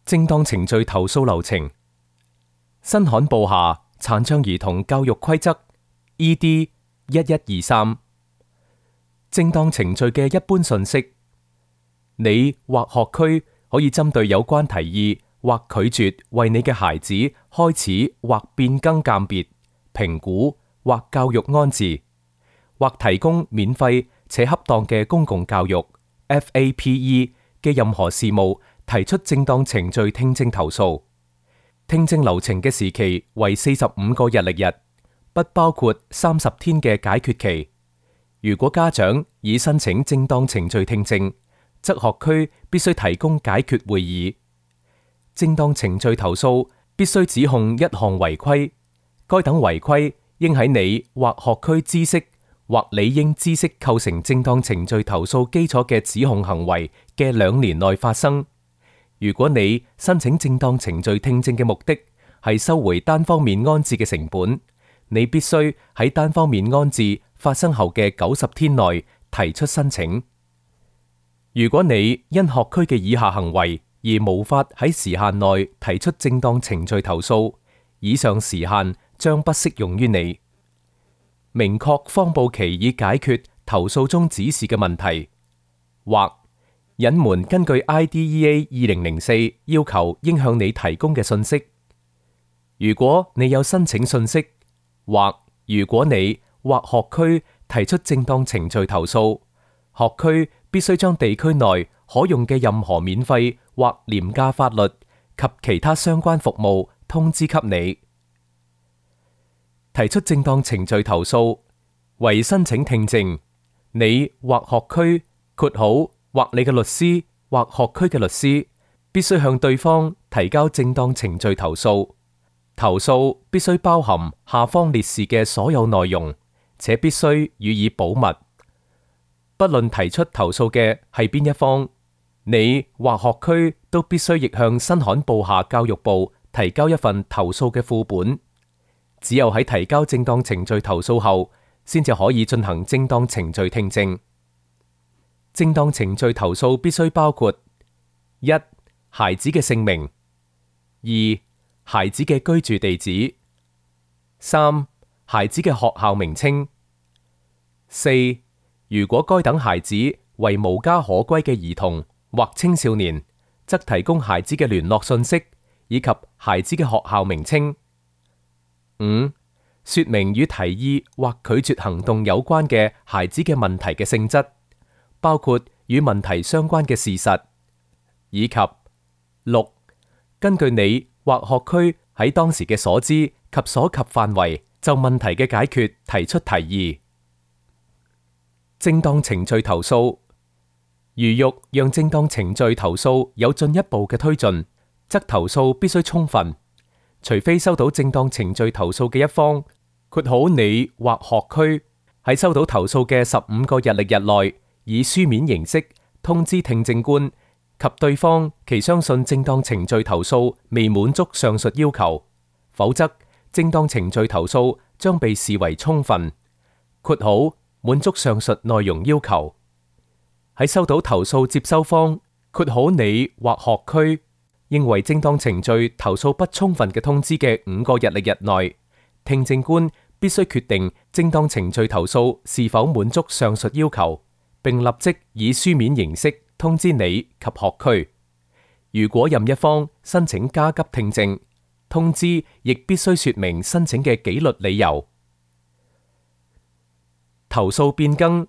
正當程序投訴流程。新罕布夏殘障兒童教育規則 ED 1123。正當程序嘅一般信息：你或學區可以針對有關提議或拒絕為你嘅孩子開始或變更鑑別、評估或教育安置，或提供免費且恰當嘅公共教育 FAPE 嘅任何事務提出正當程序聽證投訴。聽證流程嘅時期為45個日曆日，不包括30天嘅解決期。如果家長已申請正當程序聽證，則學區必須提供解決會議。正當程序投訴必須指控一項違規，該等違規應喺你或學區知悉或理應知悉構成正當程序投訴基礎嘅指控行為嘅2年內發生。如果你申請正當程序聽證嘅目的係收回單方面安置嘅成本，你必須喺單方面安置發生後嘅90天內提出申請。如果你因學區嘅以下行為而無法喺時限內提出正當程序投訴，以上時限將不適用於你。明確謊報其已解決投訴中指示嘅問題，或隱瞞根據 IDEA 2004要求應向你提供嘅信息。如果你有申請信息，或如果你或學區提出正當程序投訴，學區必須將地區內可用嘅任何免費或廉價法律及其他相關服務通知給你。提出正當程序投訴為申請聽證，你或學區括號或你嘅律師或學區嘅律師必須向對方提交正當程序投訴。投訴必須包含下方列示嘅所有內容，且必須予以保密。不論提出投訴嘅係邊一方，你或學區都必須亦向新罕布夏教育部提交一份投訴嘅副本。只有喺提交正當程序投訴後，先至可以進行正當程序聽證。正當程序投訴必須包括： 1. 孩子嘅姓名； 2. 孩子嘅居住地址； 3. 孩子嘅學校名稱； 4. 如果該等孩子為無家可歸嘅兒童或青少年，則提供孩子嘅聯絡信息以及孩子嘅學校名稱。 5. 說明與提議或拒絕行動有關嘅孩子嘅問題嘅性質，包括與問題相關嘅事實，以及 6. 根據你或學區喺當時嘅所知及所及範圍就問題嘅解決提出提議。正當程序投訴，如欲讓正當程序投訴有進一步嘅推進，則投訴必須充分，除非收到正當程序投訴嘅一方括好你或學區喺收到投訴嘅15個日曆日內，以書面形式通知聽證官及對方其相信正當程序投訴未滿足上述要求，否則正當程序投訴將被視為充分，括好滿足上述內容要求。喺收到投訴接收方括好你或學區認為正當程序投訴不充分嘅通知嘅5個日曆日內，聽證官必須決定正當程序投訴是否滿足上述要求，並立即以書面形式通知你及學區。如果任一方申請加急聽證，通知亦必須說明申請嘅紀律理由。投訴變更，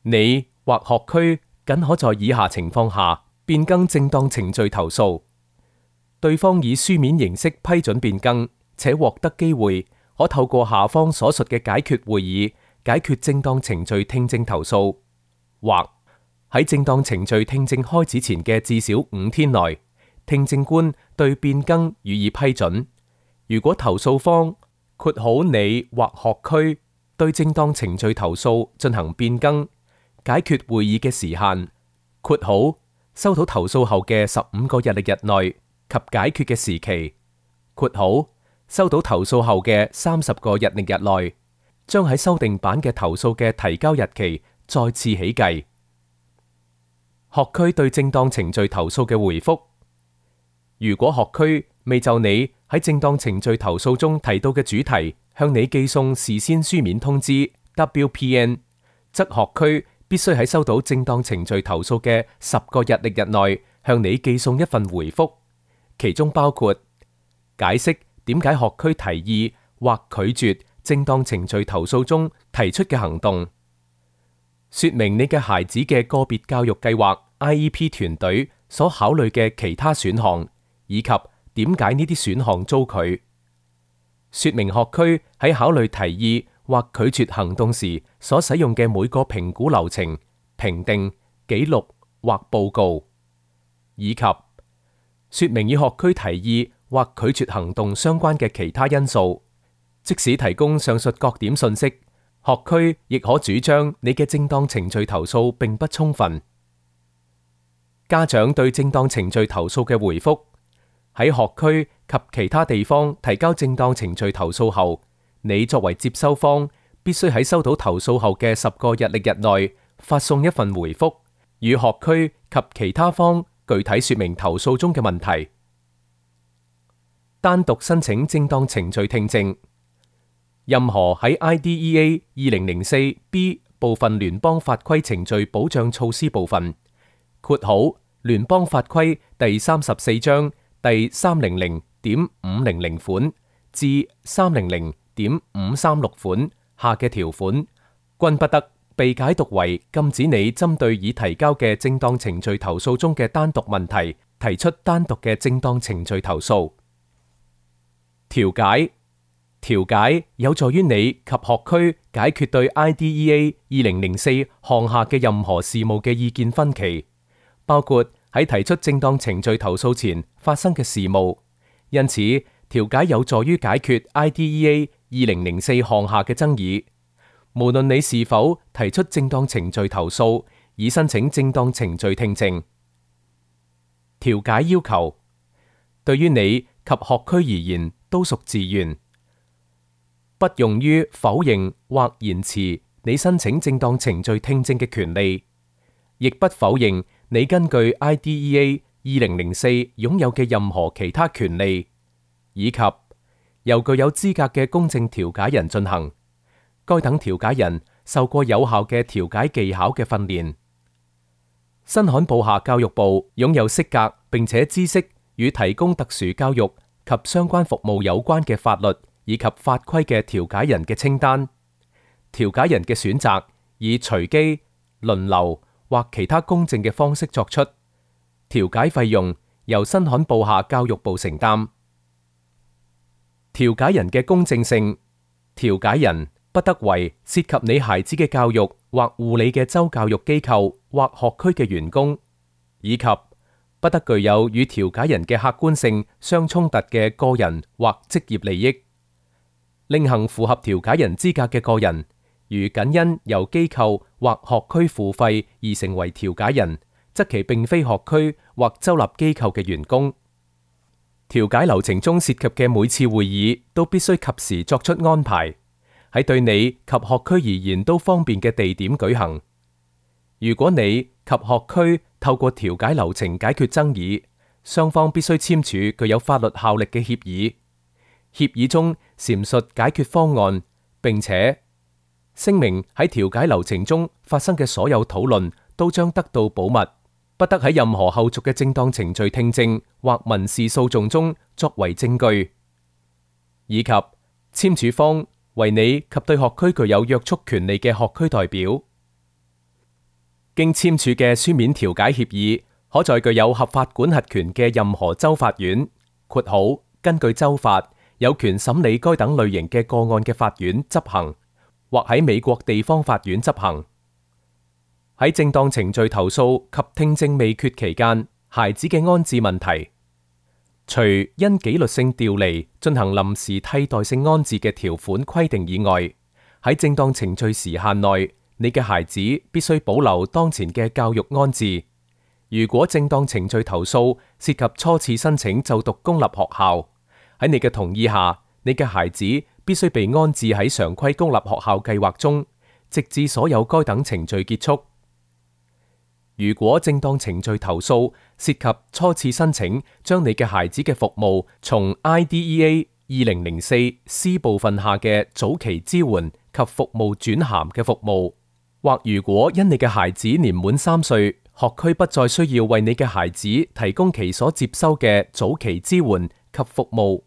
你或學區僅可在以下情況下變更正當程序投訴：對方以書面形式批准變更，且獲得機會可透過下方所述嘅解決會議解決正當程序聽證投訴，或喺正當程序聽證開始前嘅至少5天內，聽證官對變更予以批准。如果投訴方括好你或學區對正當程序投訴進行變更，解決會議嘅時限括好收到投訴後嘅15個日曆日內及解決嘅時期括好收到投訴後嘅30個日曆日內，將喺修訂版嘅投訴嘅提交日期再次起計。學區對正當程序投訴嘅回覆：如果學區未就你喺正當程序投訴中提到嘅主題向你寄送事先書面通知 WPN， 則學區必須喺收到正當程序投訴嘅10個日曆日內向你寄送一份回覆，其中包括解釋點解學區提議或拒絕正當程序投訴中提出嘅行動，說明你嘅孩子嘅個別教育計劃 IEP 團隊所考慮嘅其他選項，以及點解呢啲選項遭拒，說明學區喺考慮提議或拒絕行動時所使用嘅每個評估流程、評定、記錄或報告，以及說明與學區提議或拒絕行動相關嘅其他因素。即使提供上述各點信息，學區亦可主張你嘅正當程序投訴並不充分。家長對正當程序投訴嘅回覆，喺學區及其他地方提交正當程序投訴後，你作為接收方，必須喺收到投訴後嘅10個日曆日內發送一份回覆，與學區及其他方具體說明投訴中嘅問題。單獨申請正當程序聽證，任何喺 IDEA 2004B 部分聯邦法規程序保障措施部分（括號聯邦法規第34章第300.500款至300.536款）下嘅條款，均不得被解讀為禁止你針對已提交嘅正當程序投訴中嘅單獨問題提出單獨嘅正當程序投訴。調解有助於你及學區解決對 IDEA 2004項下嘅任何事務嘅意見分歧，包括喺提出正當程序投訴前發生嘅事務。因此，調解有助於解決 IDEA 2004項下嘅爭議，無論你是否提出正當程序投訴，以申請正當程序聽證。調解要求對於你及學區而言都屬自願，不用於否認或延遲你申請正當程序聽證嘅權利，亦不否認你根據 IDEA 2004擁有嘅任何其他權利，以及由具有資格嘅公正調解人進行。該等調解人受過有效嘅調解技巧嘅訓練。新罕布夏教育部擁有適格並且知識與提供特殊教育及相關服務有關嘅法律以及法規嘅調解人嘅清單。調解人嘅選擇以隨機、輪流或其他公正嘅方式作出。調解費用由新罕布夏教育部承擔。調解人嘅公正性，調解人不得為涉及你孩子嘅教育或護理嘅州教育機構或學區嘅員工，以及不得具有與調解人嘅客觀性相衝突嘅個人或職業利益。另行符合調解人資格嘅個人，如僅因由機構或學區付費而成為調解人，則其並非學區或州立機構嘅員工。調解流程中涉及嘅每次會議都必須及時作出安排，喺對你及學區而言都方便嘅地點舉行。如果你及學區透過調解流程解決爭議，雙方必須簽署具有法律效力嘅協議。協議中闡述解決方案，並且聲明喺調解流程中發生嘅所有討論都將得到保密，不得喺任何後續嘅正當程序聽證或民事訴訟中作為證據，以及簽署方為你及對學區具有約束權利嘅學區代表。經簽署嘅書面調解協議，可在具有合法管轄權嘅任何州法院（括號根據州法有權審理該等類型嘅個案嘅法院）執行，或喺美國地方法院執行。喺正當程序投訴及聽證未決期間，孩子嘅安置問題，除因紀律性調離進行臨時替代性安置嘅條款規定以外，喺正當程序時限內，你嘅孩子必須保留當前嘅教育安置。如果正當程序投訴涉及初次申請就讀公立學校，喺你嘅同意下，你嘅孩子必須被安置喺常規公立學校計劃中，直至所有該等程序結束。如果正當程序投訴涉及初次申請將你嘅孩子嘅服務從 IDEA 2004 C 部分下嘅早期支援及服務轉銜嘅服務，或如果因你嘅孩子年滿3歲，學區不再需要為你嘅孩子提供其所接收嘅早期支援及服務，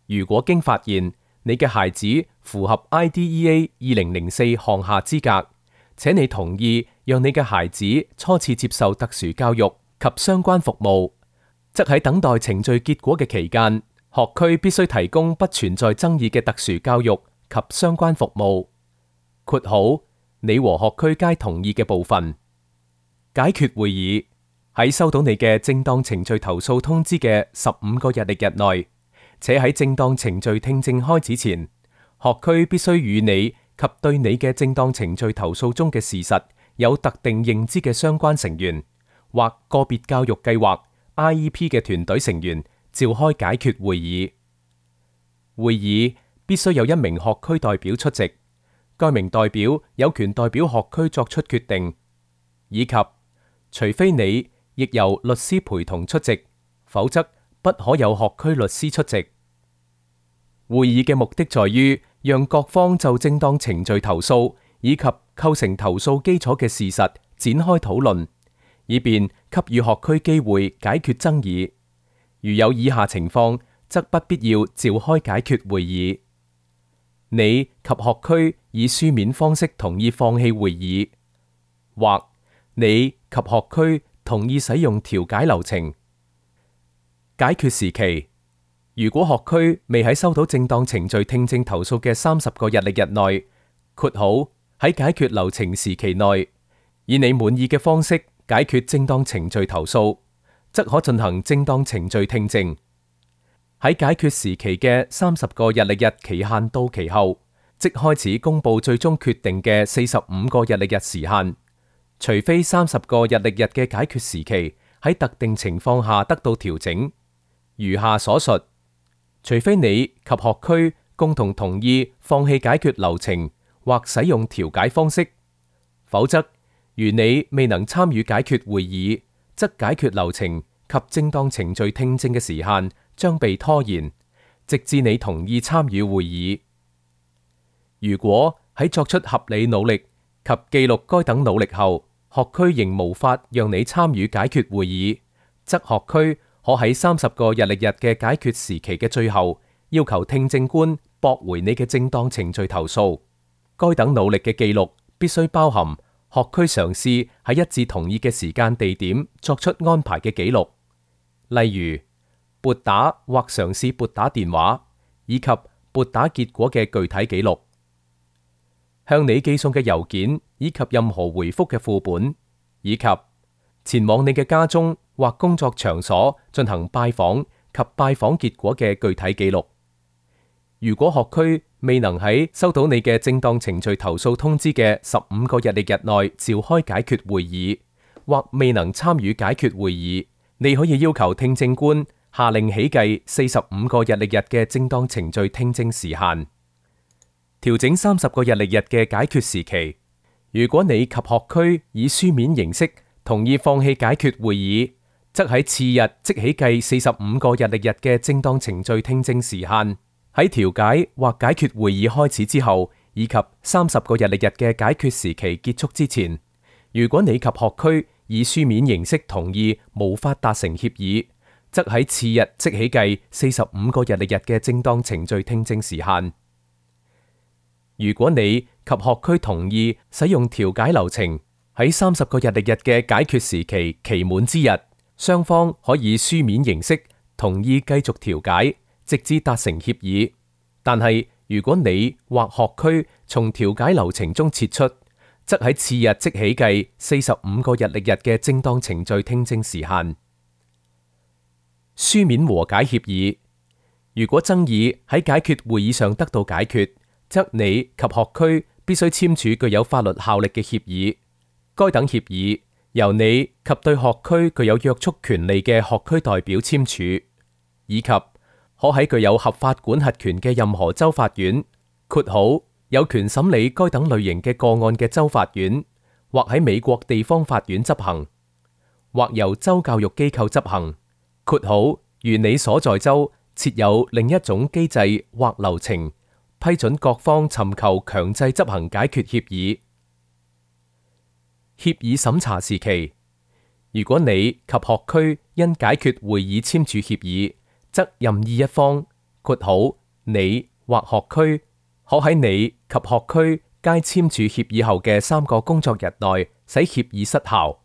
如果經發現你嘅孩子符合 IDEA 2004項下資格，且你同意讓你嘅孩子初次接受特殊教育及相關服務，則喺等待程序結果嘅期間，學區必須提供不存在爭議嘅特殊教育及相關服務。括號你和學區皆同意嘅部分。解決會議喺收到你嘅正當程序投訴通知嘅15個日曆日內，且喺正當程序聽證開始前，學區必須與你及對你嘅正當程序投訴中嘅事實有特定認知嘅相關成員或個別教育計劃 IEP 嘅團隊成員召開解決會議。會議必須有一名學區代表出席，該名代表有權代表學區作出決定，以及除非你亦由律師陪同出席，否則不可有學區律師出席。會議嘅目的在於讓各方就正當程序投訴以及構成投訴基礎嘅事實展開討論，以便給予學區機會解決爭議。如有以下情況，則不必要召開解決會議：你及學區以書面方式同意放棄會議，或你及學區同意使用調解流程。解決時期：如果學區未喺收到正當程序聽證投訴嘅30個日曆日內（括號喺解決流程時期內），以你滿意嘅方式解決正當程序投訴，則可進行正當程序聽證。喺解決時期嘅30個日曆日期限到期後，即開始公佈最終決定嘅45個日曆日時限。除非30個日曆日嘅解決時期喺特定情況下得到調整，如下所述：除非你及學區共同同意放棄解決流程或使用調解方式，否則如你未能參與解決會議，則解決流程及正當程序聽證嘅時限將被拖延，直至你同意參與會議。如果喺作出合理努力及記錄該等努力後，學區仍無法讓你參與解決會議，則學區可喺30個日曆日嘅解決時期嘅最後，要求聽證官駁回你嘅正當程序投訴。該等努力嘅記錄必須包含學區嘗試喺一致同意嘅時間地點作出安排嘅記錄，例如撥打或嘗試撥打電話，以及撥打結果嘅具體記錄。向你寄送嘅郵件以及任何回覆嘅副本，以及前往你嘅家中或工作場所進行拜訪及拜訪結果嘅具體記錄。如果學區未能喺收到你嘅正當程序投訴通知嘅15個日曆日內召開解決會議，或未能參與解決會議，你可以要求聽證官下令起計45個日曆日嘅正當程序聽證時限。調整30個日曆日嘅解決時期。如果你及學區以書面形式同意放棄解決會議，則喺次日即起計45個日曆日嘅正當程序聽證時限，喺調解或解決會議開始之後，以及30個日曆日嘅解決時期結束之前，如果你及學區以書面形式同意無法達成協議，則喺次日即起計45個日曆日嘅正當程序聽證時限。如果你及學區同意使用調解流程，喺30個日曆日嘅解決時期期滿之日，雙方可以書面形式同意繼續調解，直至達成協議。但係如果你或學區從調解流程中撤出，則喺次日即起計45個日曆日嘅正當程序聽證時限。書面和解協議。如果爭議喺解決會議上得到解決，則你及學區必須簽署具有法律效力嘅協議。該等協議由你及對學區具有約束權利嘅學區代表簽署，以及可喺具有合法管轄權嘅任何州法院（括號有權審理該等類型嘅個案嘅州法院）或喺美國地方法院執行。或由州教育機構執行（括號如你所在州設有另一種機制或流程，批准各方尋求強制執行解決協議）。協議審查時期，如果你及學區因解決會議簽署協議，則任意一方（括號你或學區）可喺你及學區皆簽署協議後嘅3個工作日內使協議失效。